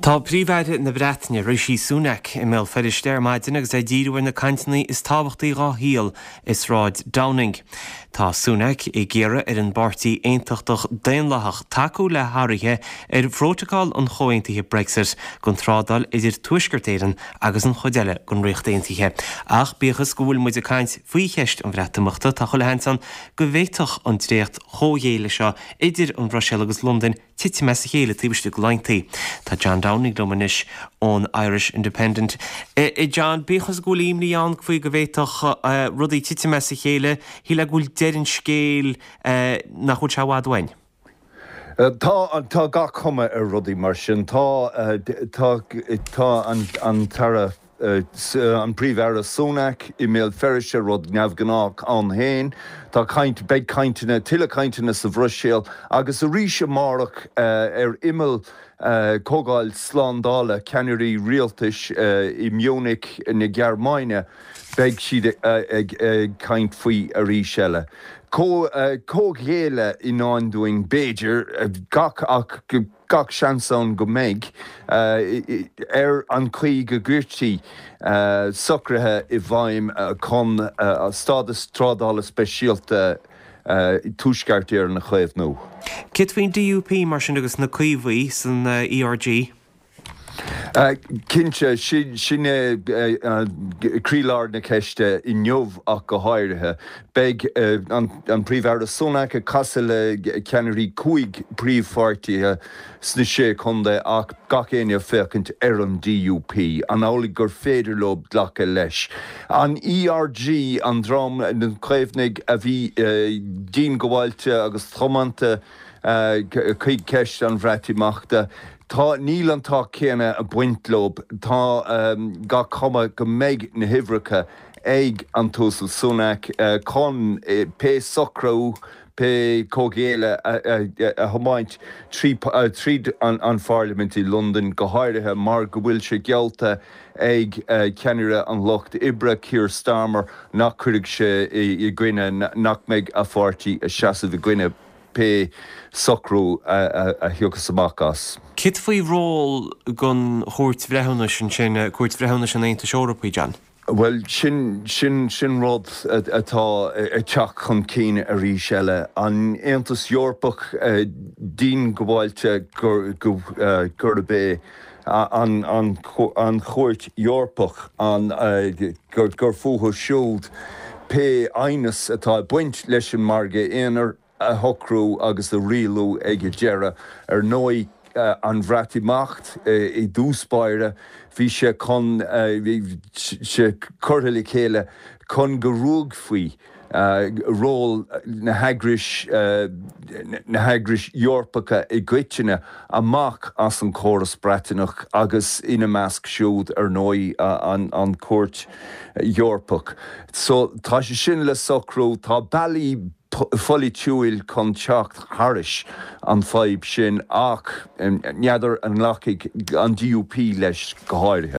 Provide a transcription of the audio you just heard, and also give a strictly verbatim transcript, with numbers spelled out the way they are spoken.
Tá Príomh-Aire na Breataine Rishi Sunak i mBéal Feirste ar maidin agus é ag díriú ar na cainteanna is tábhachtaí dá shaol i Sráid Downing. Tá Sunak ag iarraidh ar an bpáirtí aontachtach daonlathach tacú le hathruithe ar phrótacal an chomhaontaithe Brexit don trádáil idir Tuaisceart Éireann agus an chuid eile den Ríocht Aontaithe. Ach bíodh is go bhfuil muid ag caint faoi cheist an Bhreatimeachta tá chuile sheans ann go bhféadfadh an dréacht chomhghéilleadh seo idir an Bhruiséil agus Londain titim as a chéile taobh istigh de laethanta. Tá John Downing liom anois ón Irish Independent. E, e John, bíodh is go bhfuil imní ann faoi go bhféadfadh rudaí titim as a chéile, shílfeá go bhfuil deireadh an scéil nach bhfuil sé i bhfad uainn. Tá tá gach cuma ar rudaí mar sin tá tá tá an an tAire an Príomh-Aire Sunak i mBéal Feirste rud neamhghnách ann féin, Tá caint beidh cainteanna tuilleadh cainteanna sa Bhruiséil agus arís amárach ar imeall comhdháil slándála ceannairí rialtais i Munich na Gearmáine beidh siad ag ag caint faoi arís eile. Comhghéilleadh i ndán dúinn b'fhéidir gach ach gach seans ann go mbeidh ar an chaoi go gcuirtí socruithe i bhfeidhm chun stádas trádála speisialta Tuaisceart Éireann a chaomhnú. Céard faoin DUP mar sin agus na Caomhaigh san ERG? Cinnte sin é croílár na ceiste inniu ach go háirithe. Beidh an Príomh-Aire Sunak ag casadh le ceannairí cúig príomhpháirtithe sna sé chontae ach gach éinne féachaint ar an DUP, an amhlaidh gur féidir leo glacadh leis. An ERG an dream na Caomhnaigh a bhí diongbháilte agus tiomanta chuig ceist an Bhreatimeachta. Tá níl an t-ádh céanna ag baint leo tá gach cuma go mbeidh na huimhreacha ag an tUasal Sunak chun pé socrú pé comhghéilleadh a thiomáint tríd an Pharlaimint i Londain go háirithe mar go bhfuil sé geallta ag ceannaire an lucht oibre Keir Starmer nach gcuirfidh sé i gcoinne nach mbeidh a pháirtí ag seasamh i gcoinne pé socrú a thiocfas amach as. Céard faoi ról don Chúirt Bhreithiúnais ansin Cúirt Bhreithiúnais an Aontais Eorpaigh John. Well sin sin sin rud atá ag teacht chun cinn arís eile. An Aontas Eorpach diongbháilte gurb é an an an Chúirt Eorpach an gur gur fúthu siúd pé aighneas atá ag baint leis an margadh aonair a shocrú agus a rialú ag an deireadh ar ndóigh an Bhreatimeacht i dtús báire bhí sé chun bhí sé curtha le chéile chun go ruaigfí ról na heagrais na heagrais Eorpacha i gcoitinne amach as an chóras Breataineach agus ina measc siúd ar ndóigh an an Chúirt Eorpach. So tá sé sin le socrú tá bealaí polaitiúil chun teacht thairis an fadhb sin ach n'fheadar an nglacfaidh an DUP leis go háirithe.